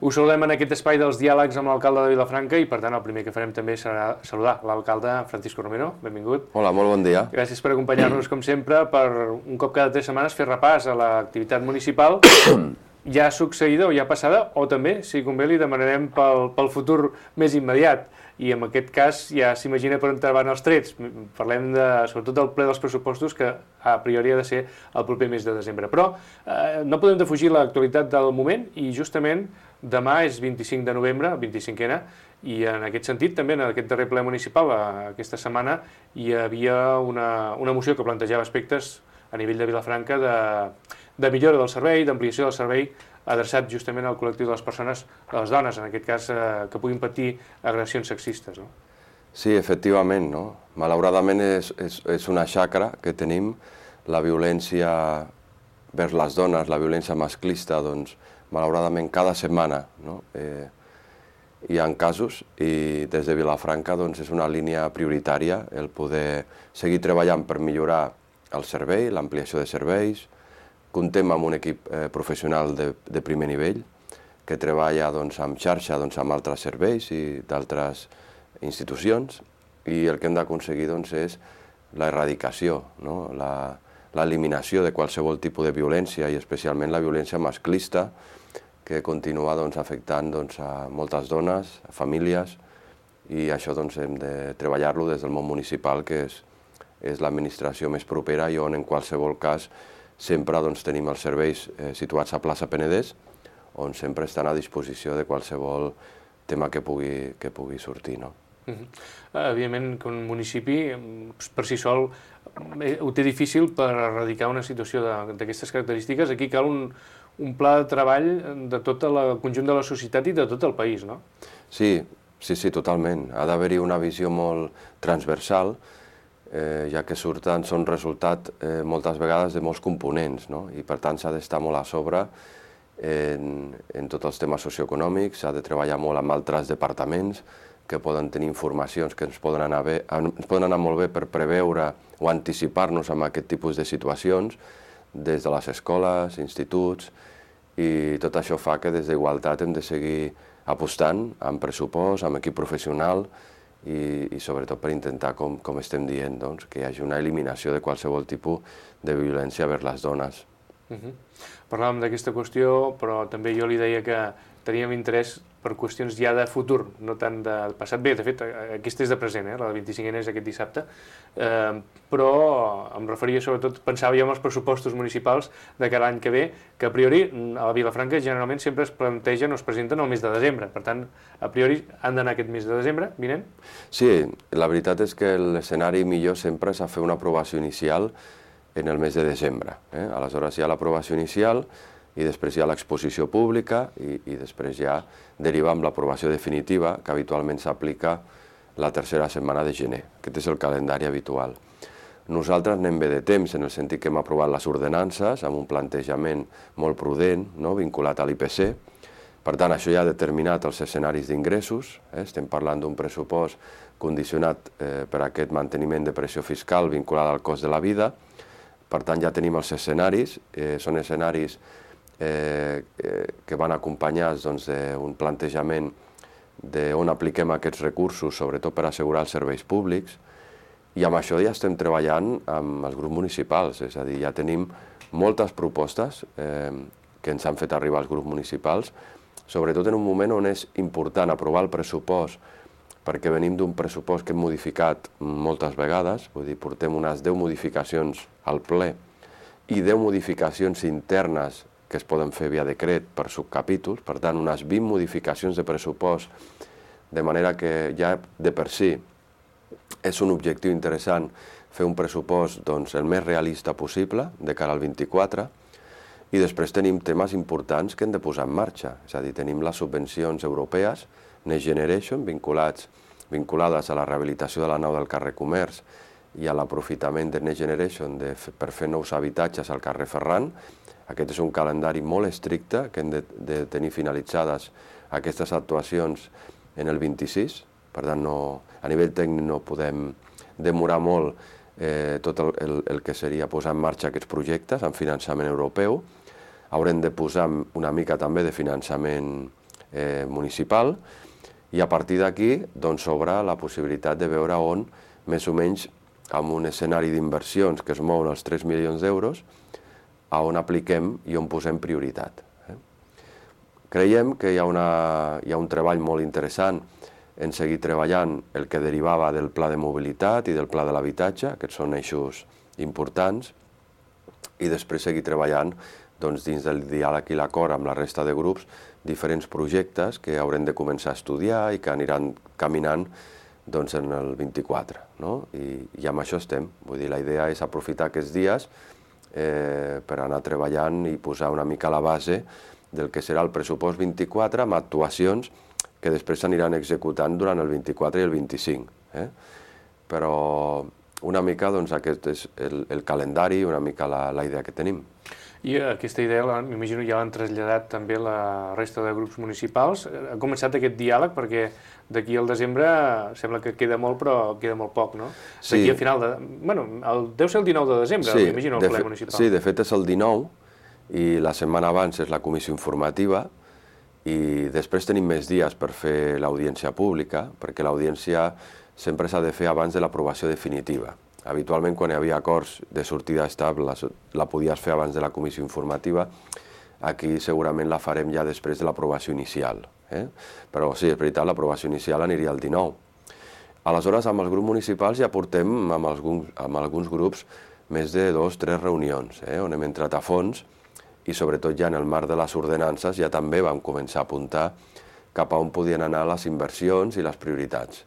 Us saludem en aquest espai dels diàlegs amb l'alcalde de Vilafranca i, per tant, el primer que farem també serà saludar l'alcalde Francisco Romero. Benvingut. Hola, molt bon dia. Gràcies per acompanyar-nos, com sempre, per un cop cada 3 setmanes fer repàs a l'activitat municipal ja succeïda o ja passada, o també, si convé, li demanarem pel futur més immediat. I en aquest cas ja s'imagina per on van els trets. Parlem sobretot del ple dels pressupostos, que a priori ha de ser el proper mes de desembre. Però no podem defugir l'actualitat del moment i justament demà és 25 de novembre, 25ena, i en aquest sentit també en aquest darrer ple municipal, aquesta setmana, hi havia una moció que plantejava aspectes a nivell de Vilafranca de millora del servei, d'ampliació del servei, adreçat justament al col·lectiu de les persones, de les dones, en aquest cas, que puguin patir agressions sexistes. No? Sí, efectivament, no? Malauradament és una xacra que tenim, la violència vers les dones, la violència masclista, doncs, malauradament cada setmana, no? Hi ha casos i des de Vilafranca doncs, és una línia prioritària el poder seguir treballant per millorar el servei, l'ampliació de serveis. Comptem amb un equip professional de primer nivell que treballa doncs, en xarxa doncs, amb altres serveis i d'altres institucions, i el que hem d'aconseguir doncs, és l'erradicació, no? L'eliminació de qualsevol tipus de violència i especialment la violència masclista que continua doncs, afectant doncs, a moltes dones, a famílies, i això doncs, hem de treballar-lo des del món municipal, que és l'administració més propera i on en qualsevol cas sempre doncs, tenim els serveis situats a plaça Penedès, on sempre estan a disposició de qualsevol tema que pugui sortir. No? Evidentment que un municipi per si sol ho té difícil per erradicar una situació d'aquestes característiques. Aquí cal un pla de treball de tot el conjunt de la societat i de tot el país, no? Sí, totalment. Ha d'haver-hi una visió molt transversal, ja que són resultat moltes vegades de molts components, no? I per tant s'ha d'estar molt a sobre en tots els temes socioeconòmics, s'ha de treballar molt amb altres departaments que poden tenir informacions que ens poden anar molt bé per preveure o anticipar-nos en aquest tipus de situacions des de les escoles, instituts, i tot això fa que des d'Igualtat hem de seguir apostant amb pressupost, amb equip professional, i sobretot per intentar, com estem dient, doncs, que hi hagi una eliminació de qualsevol tipus de violència vers les dones. Parlàvem d'aquesta qüestió, però també jo li deia que teníem interès per qüestions ja de futur, no tant de passat. Bé, de fet, aquesta és de present, la de 25ena és aquest dissabte, però em referia sobretot, pensava jo en els pressupostos municipals de cada any que ve, que a priori a la Vilafranca generalment sempre es plantegen o es presenten el mes de desembre. Per tant, a priori han d'anar aquest mes de desembre, vinent? Sí, la veritat és que l'escenari millor sempre és a fer una aprovació inicial en el mes de desembre. Aleshores hi ha l'aprovació inicial i després hi ha l'exposició pública i després ja deriva amb l'aprovació definitiva, que habitualment s'aplica la tercera setmana de gener. Aquest és el calendari habitual. Nosaltres anem bé de temps, en el sentit que hem aprovat les ordenances amb un plantejament molt prudent, no? Vinculat a l'IPC. Per tant, això ja ha determinat els escenaris d'ingressos. Estem parlant d'un pressupost condicionat per aquest manteniment de pressió fiscal vinculada al cost de la vida. Per tant, ja tenim els escenaris, són escenaris que van acompanyats d'un plantejament d'on apliquem aquests recursos, sobretot per assegurar els serveis públics, i amb això ja estem treballant amb els grups municipals, és a dir, ja tenim moltes propostes que ens han fet arribar als grups municipals, sobretot en un moment on és important aprovar el pressupost, perquè venim d'un pressupost que hem modificat moltes vegades, vull dir, portem unes 10 modificacions al ple i 10 modificacions internes que es poden fer via decret per subcapítols, per tant, unes 20 modificacions de pressupost, de manera que ja de per si és un objectiu interessant fer un pressupost el més realista possible de cara al 24, i després tenim temes importants que hem de posar en marxa, és a dir, tenim les subvencions europees, Next Generation, vinculades a la rehabilitació de la nau del carrer Comerç i a l'aprofitament de Next Generation per fer nous habitatges al carrer Ferran. Aquest és un calendari molt estricte, que hem de tenir finalitzades aquestes actuacions en el 26, per tant, a nivell tècnic no podem demorar molt tot el que seria posar en marxa aquests projectes amb finançament europeu. Haurem de posar una mica també de finançament municipal, i a partir d'aquí s'obre la possibilitat de veure on, més o menys, amb un escenari d'inversions que es mouen els 3 milions d'euros, a on apliquem i on posem prioritat. Creiem que hi ha un treball molt interessant en seguir treballant el que derivava del pla de mobilitat i del pla de l'habitatge, aquests són eixos importants, i després seguir treballant dins del diàleg i l'acord amb la resta de grups diferents projectes que haurem de començar a estudiar i que aniran caminant en el 24. I amb això estem. Vull dir, la idea és aprofitar aquests dies per anar treballant i posar una mica la base del que serà el pressupost 24 amb actuacions que després s'aniran executant durant el 24 i el 25. Però una mica aquest és el calendari, una mica la idea que tenim. I aquesta idea, m'imagino, ja l'han traslladat també la resta de grups municipals. Ha començat aquest diàleg perquè d'aquí al desembre sembla que queda molt, però queda molt poc, no? Sí. D'aquí a final de... Bueno, deu ser el 19 de desembre, sí, m'imagino, el ple municipal. Sí, de fet és el 19 i la setmana abans és la comissió informativa i després tenim més dies per fer l'audiència pública, perquè l'audiència sempre s'ha de fer abans de l'aprovació definitiva. Habitualment, quan hi havia acords de sortida estable, la podies fer abans de la comissió informativa. Aquí segurament la farem ja després de l'aprovació inicial. Però sí, és veritat, l'aprovació inicial aniria el 19. Aleshores, amb els grups municipals ja portem amb alguns grups més de 2 o 3 reunions, on hem entrat a fons i sobretot ja en el marc de les ordenances ja també vam començar a apuntar cap a on podien anar les inversions i les prioritats.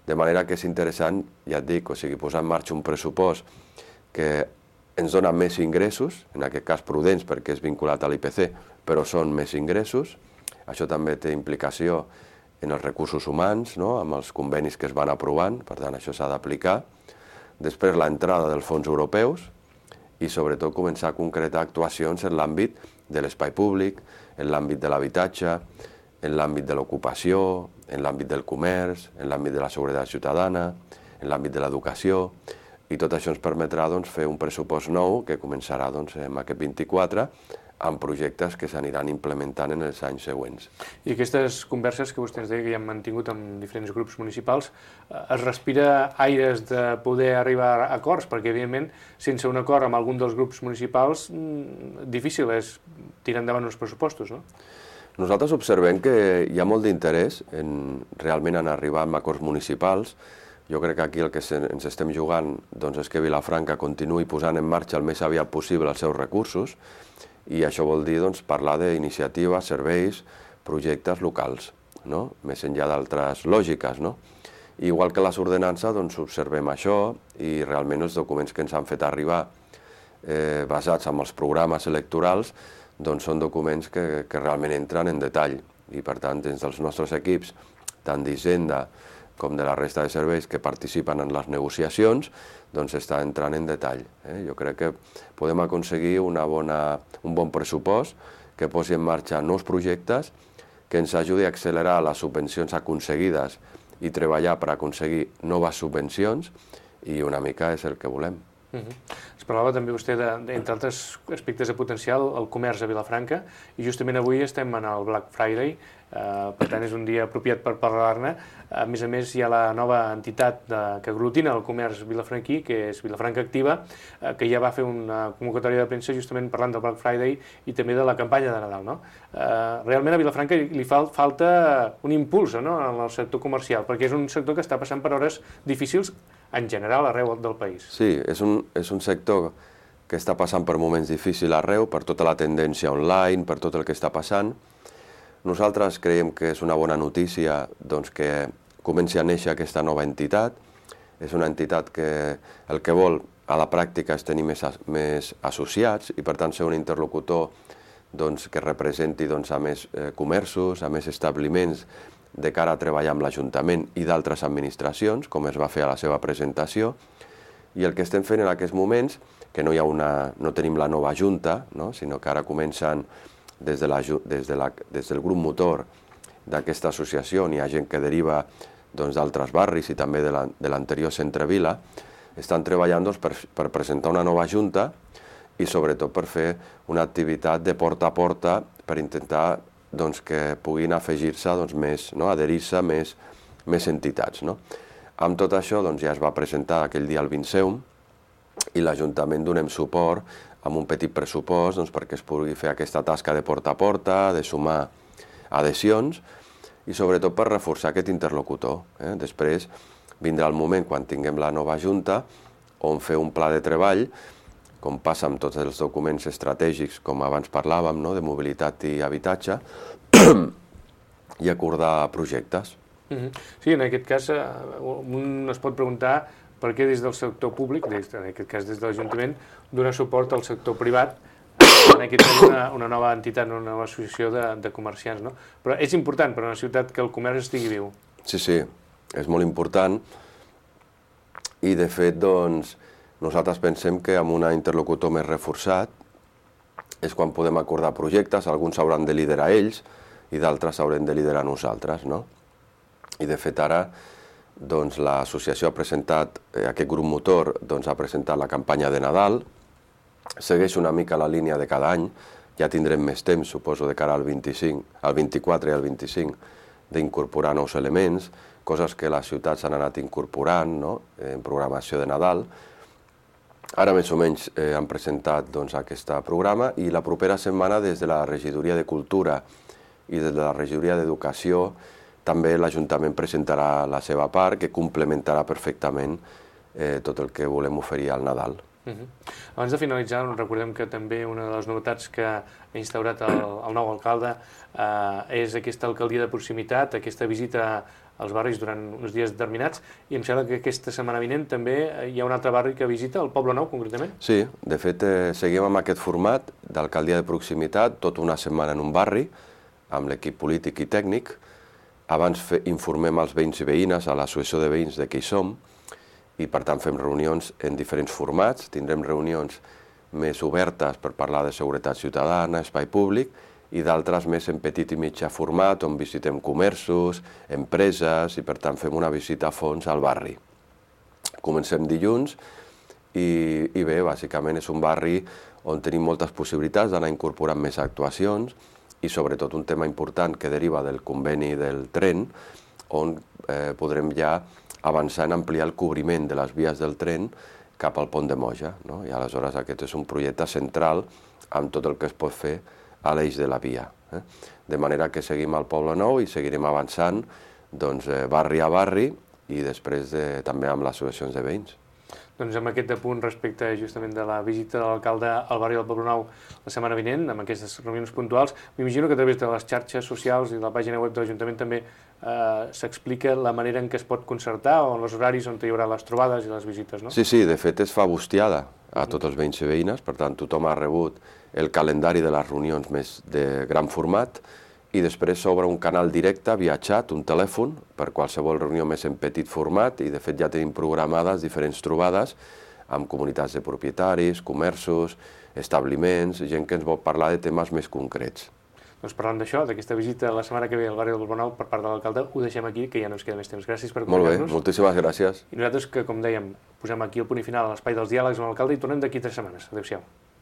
De manera que és interessant, ja et dic, posar en marxa un pressupost que ens dona més ingressos, en aquest cas prudents perquè és vinculat a l'IPC, però són més ingressos. Això també té implicació en els recursos humans, amb els convenis que es van aprovant, per tant això s'ha d'aplicar. Després l'entrada dels fons europeus i sobretot començar a concretar actuacions en l'àmbit de l'espai públic, en l'àmbit de l'habitatge, en l'àmbit de l'ocupació, en l'àmbit del comerç, en l'àmbit de la seguretat ciutadana, en l'àmbit de l'educació, i tot això ens permetrà fer un pressupost nou que començarà en aquest 24 amb projectes que s'aniran implementant en els anys següents. I aquestes converses que vostè ens deia que ja han mantingut amb diferents grups municipals, es respira aires de poder arribar a acords? Perquè, evidentment, sense un acord amb algun dels grups municipals, difícil és tirar endavant uns pressupostos, no? Nosaltres observem que hi ha molt d'interès realment en arribar a acords municipals. Jo crec que aquí el que ens estem jugant és que Vilafranca continuï posant en marxa el més aviat possible els seus recursos i això vol dir parlar d'iniciatives, serveis, projectes locals, més enllà d'altres lògiques. Igual que les ordenances, observem això i realment els documents que ens han fet arribar basats en els programes electorals són documents que realment entren en detall i, per tant, dins dels nostres equips, tant d'Hisenda com de la resta de serveis que participen en les negociacions, està entrant en detall. Jo crec que podem aconseguir un bon pressupost que posi en marxa nous projectes, que ens ajudi a accelerar les subvencions aconseguides i treballar per aconseguir noves subvencions i una mica és el que volem. Es parlava també vostè, entre altres aspectes de potencial, el comerç a Vilafranca, i justament avui estem en el Black Friday, per tant és un dia apropiat per parlar-ne. A més, hi ha la nova entitat que aglutina el comerç vilafranquí, que és Vilafranca Activa, que ja va fer una convocatòria de premsa justament parlant del Black Friday i també de la campanya de Nadal. Realment a Vilafranca li falta un impuls en el sector comercial, perquè és un sector que està passant per hores difícils en general arreu del país. Sí, és un sector que està passant per moments difícils arreu, per tota la tendència online, per tot el que està passant. Nosaltres creiem que és una bona notícia que comenci a néixer aquesta nova entitat. És una entitat que el que vol a la pràctica és tenir més associats i per tant ser un interlocutor que representi a més comerços, a més establiments de cara a treballar amb l'Ajuntament i d'altres administracions, com es va fer a la seva presentació. I el que estem fent en aquests moments, que no tenim la nova Junta, sinó que ara comencen des del grup motor d'aquesta associació, hi ha gent que deriva d'altres barris i també de l'anterior Centre Vila, estan treballant per presentar una nova Junta i sobretot per fer una activitat de porta a porta per intentar que puguin afegir-se adherir-se més entitats. Amb tot això ja es va presentar aquell dia el Vinceum i l'Ajuntament donem suport amb un petit pressupost perquè es pugui fer aquesta tasca de porta a porta, de sumar adhesions i sobretot per reforçar aquest interlocutor. Després vindrà el moment, quan tinguem la nova Junta, on fer un pla de treball, com passa amb tots els documents estratègics, com abans parlàvem, de mobilitat i habitatge, i acordar projectes. Sí, en aquest cas, un es pot preguntar per què des del sector públic, en aquest cas des de l'Ajuntament, donar suport al sector privat, en aquest cas una nova entitat, una nova associació de comerciants. Però és important per a una ciutat que el comerç estigui viu. Sí, és molt important i de fet nosaltres pensem que amb un interlocutor més reforçat és quan podem acordar projectes, alguns s'hauran de liderar ells i d'altres s'haurem de liderar nosaltres. I de fet ara l'associació ha presentat, aquest grup motor ha presentat la campanya de Nadal, segueix una mica la línia de cada any, ja tindrem més temps, suposo, de cara al 24 i al 25, d'incorporar nous elements, coses que les ciutats han anat incorporant en programació de Nadal. Ara més o menys han presentat aquest programa i la propera setmana des de la Regidoria de Cultura i des de la Regidoria d'Educació també l'Ajuntament presentarà la seva part que complementarà perfectament tot el que volem oferir al Nadal. Abans de finalitzar, recordem que també una de les novetats que ha instaurat el nou alcalde és aquesta alcaldia de proximitat, aquesta visita als barris durant uns dies determinats, i em sembla que aquesta setmana vinent també hi ha un altre barri que visita, el Poble Nou, concretament. Sí, de fet seguim amb aquest format d'alcaldia de proximitat, tota una setmana en un barri, amb l'equip polític i tècnic. Abans informem els veïns i veïnes, a l'associació de veïns de què hi som, i per tant fem reunions en diferents formats, tindrem reunions més obertes per parlar de seguretat ciutadana, espai públic, i d'altres més en petit i mitjà format, on visitem comerços, empreses, i per tant fem una visita a fons al barri. Comencem dilluns i bé, bàsicament és un barri on tenim moltes possibilitats d'anar incorporant més actuacions i sobretot un tema important que deriva del conveni del tren, on podrem ja avançar en ampliar el cobriment de les vies del tren cap al pont de Moja. I aleshores aquest és un projecte central amb tot el que es pot fer a l'eix de la via. De manera que seguim al Poble Nou i seguirem avançant barri a barri i després també amb les associacions de veïns. Doncs amb aquest apunt respecte justament de la visita de l'alcalde al barri del Poble Nou la setmana vinent, amb aquestes reunions puntuals, m'imagino que a través de les xarxes socials i de la pàgina web de l'Ajuntament també s'explica la manera en què es pot concertar o en els horaris on hi haurà les trobades i les visites, no? Sí, de fet es fa bustiada a tots els veïns i veïnes, per tant tothom ha rebut el calendari de les reunions més de gran format i després s'obre un canal directe via xat, un telèfon, per qualsevol reunió més en petit format i de fet ja tenim programades diferents trobades amb comunitats de propietaris, comerços, establiments, gent que ens vol parlar de temes més concrets. Doncs parlant d'això, d'aquesta visita la setmana que ve al barri del Poble Nou per part de l'alcalde, ho deixem aquí, que ja no ens queda més temps. Gràcies per acompanyar-nos. Molt bé, moltíssimes gràcies. I nosaltres que, com dèiem, posem aquí el punt i final a l'espai dels diàlegs amb l'alcalde i tornem d'aquí 3 setmanes. Adéu-siau.